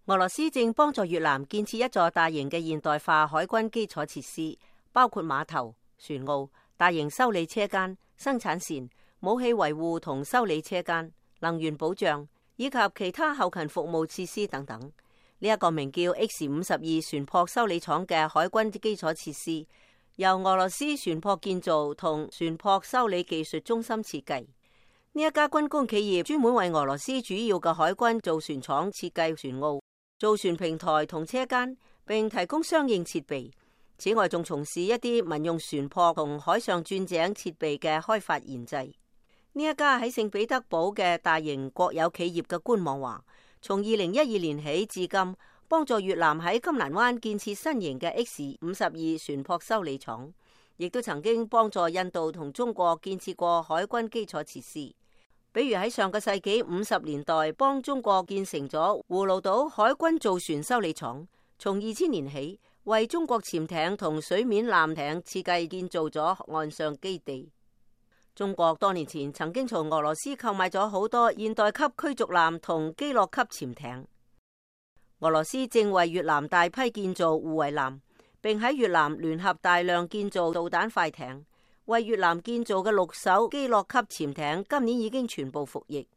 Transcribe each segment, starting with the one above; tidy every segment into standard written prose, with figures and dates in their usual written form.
俄羅斯正幫助越南建設一座大型嘅現代化海軍基礎設施，包括碼頭、船澳、大型修理車間、生產線、武器維護同修理車間、能源保障以及其他後勤服務設施等等。呢一個名叫 X-52船舶修理廠嘅海軍基礎設施，由俄羅斯船舶建造同船舶修理技術中心設計。呢一家軍工企業專門為俄羅斯主要嘅海軍造船廠設計船澳、造船平台同車間，並提供相應設備。此外，仲從事一啲民用船舶同海上鑽井設備嘅開發研製。呢一家喺聖彼得堡嘅大型國有企業嘅官網話，從2012年起至今，幫助越南喺金蘭灣建設新型嘅 X-52船舶修理廠，亦都曾經幫助印度同中國建設過海軍基礎設施。比如喺上個世紀50年代，幫中國建成咗葫蘆島海軍造船修理廠。從2000年起，為中國潛艇同水面艦艇設計建造咗岸上基地。中國多年前曾經從俄羅斯購買咗好多現代級驅逐艦同基洛級潛艇。俄羅斯正為越南大批建造護衛艦，並喺越南聯合大量建造導彈快艇。為越南建造嘅6艘基洛級潛艇今年已經全部服役。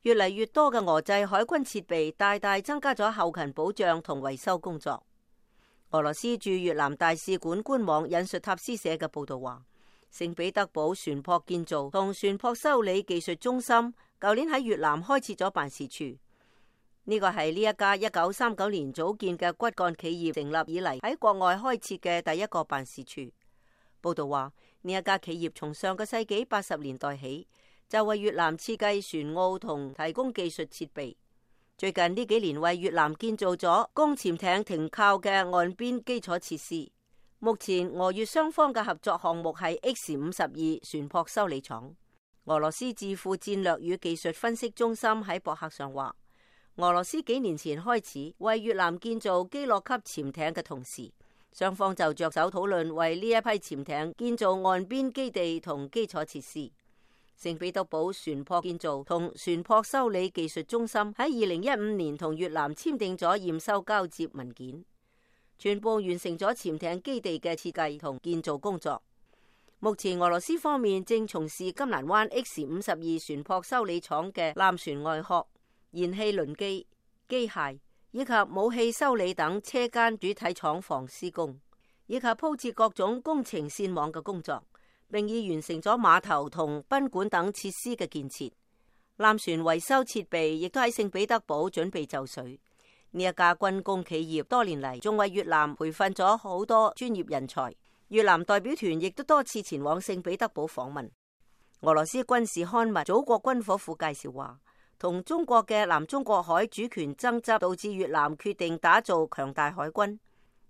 越嚟越多嘅俄製海軍設備大大增加咗後勤保障同維修工作。俄羅斯駐越南大使館官網引述塔斯社嘅報道話，聖彼得堡船舶建造同船舶修理技術中心舊年喺越南開設咗辦事處。呢個係呢一家1939年組建嘅骨幹企業成立以嚟喺國外開設嘅第一個辦事處。報道話，呢一家企業從上個世紀80年代起就為越南設計船澳同提供技術設備。最近呢幾年為越南建造咗供潛艇停靠嘅岸邊基礎設施。目前俄越雙方嘅合作項目係 X-52船舶修理廠。俄羅斯智庫戰略與技術分析中心喺博客上話，俄羅斯幾年前開始為越南建造基洛級潛艇嘅同時，雙方就着手討論為呢一批潛艇建造岸邊基地同基礎設施。聖彼得堡船舶建造同船舶修理技術中心喺2015年同越南簽訂咗驗收交接文件，全部完成咗潛艇基地嘅設計同建造工作。目前俄羅斯方面正從事金蘭灣 X-52船舶修理廠嘅艦船外殼、燃氣輪機、機械以及武器修理等車間主體廠房施工，以及鋪設各種工程線網嘅工作，並已完成咗碼頭同賓館等設施嘅建設。艦船維修設備亦都喺聖彼得堡準備就緒。呢一家軍工企業多年嚟仲為越南培訓咗好多專業人才。越南代表團亦都多次前往聖彼得堡訪問。俄羅斯軍事刊物《祖國軍火庫》介紹話，同中國嘅南中國海主權爭執導致越南決定打造強大海軍。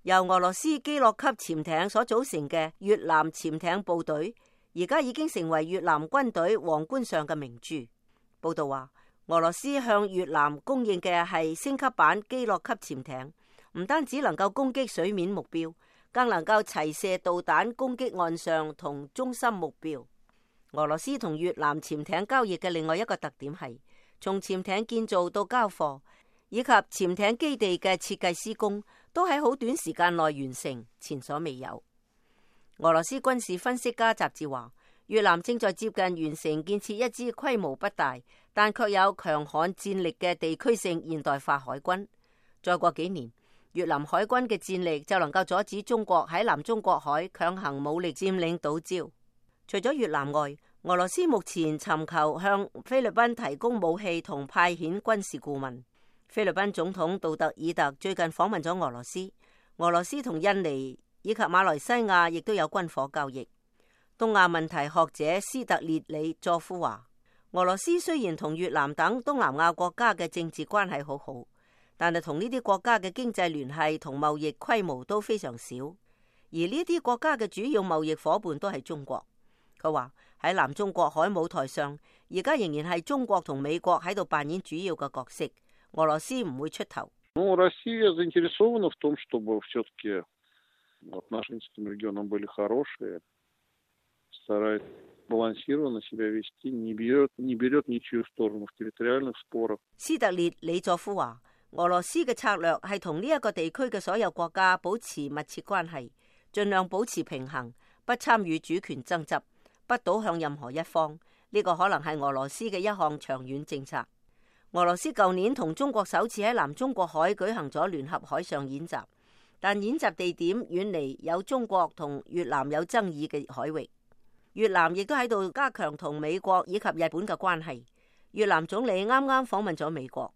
由俄羅斯基洛級潛艇所組成嘅越南潛艇部隊，而家已經成為越南軍隊皇冠上嘅明珠。報道話，俄羅斯向越南供應嘅係升級版基洛級潛艇，唔單止能夠攻擊水面目標，更能夠齊射導彈攻擊岸上同中心目標。俄羅斯同越南潛艇交易嘅另外一個特點係，從潛艇建造到交貨，以及潛艇基地嘅設計施工，都喺好短時間內完成，前所未有。俄羅斯軍事分析家雜誌話，越南正在接近完成建設一支規模不大，但卻有強悍戰力嘅地區性現代化海軍。再過幾年，越南海軍嘅戰力就能夠阻止中國喺南中國海強行武力佔領島礁。除咗越南外，俄羅斯目前尋求向菲律賓提供武器同派遣軍事顧問。菲律賓總統杜特爾特最近訪問咗俄羅斯，俄羅斯同印尼以及馬來西亞亦都有軍火交易。東亞問題學者斯特列里佐夫話，俄羅斯雖然同越南等東南亞國家嘅政治關係好好，但係同呢啲國家嘅經濟聯繫同貿易規模都非常少，而呢啲國家嘅主要貿易夥伴都係中國。佢話喺南中國海舞台上，而家仍然係中國同美國喺度扮演主要嘅角色，俄羅斯唔會出頭。Россия заинтересована в том, чтобы все-таки отношения с этим регионом были хорошие, старается балансированно себя вести, не берет ничью сторону в территориальных спорах。斯特列里佐夫話，俄羅斯嘅策略係同呢一個地區嘅所有國家保持密切關係，盡量保持平衡，不參與主權爭執，不倒向任何一方。呢個可能係俄羅斯嘅一項長遠政策。俄羅斯舊年同中國首次喺南中國海舉行咗聯合海上演習，但演習地點遠離有中國同越南有爭議嘅海域。越南亦都喺度加強同美國以及日本嘅關係。越南總理啱啱訪問咗美國，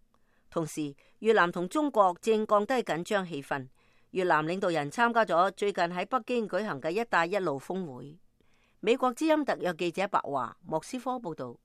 同時越南同中國正降低緊張氣氛。越南領導人參加咗最近喺北京舉行嘅一帶一路峰會。美國之音特約記者白華，莫斯科報道。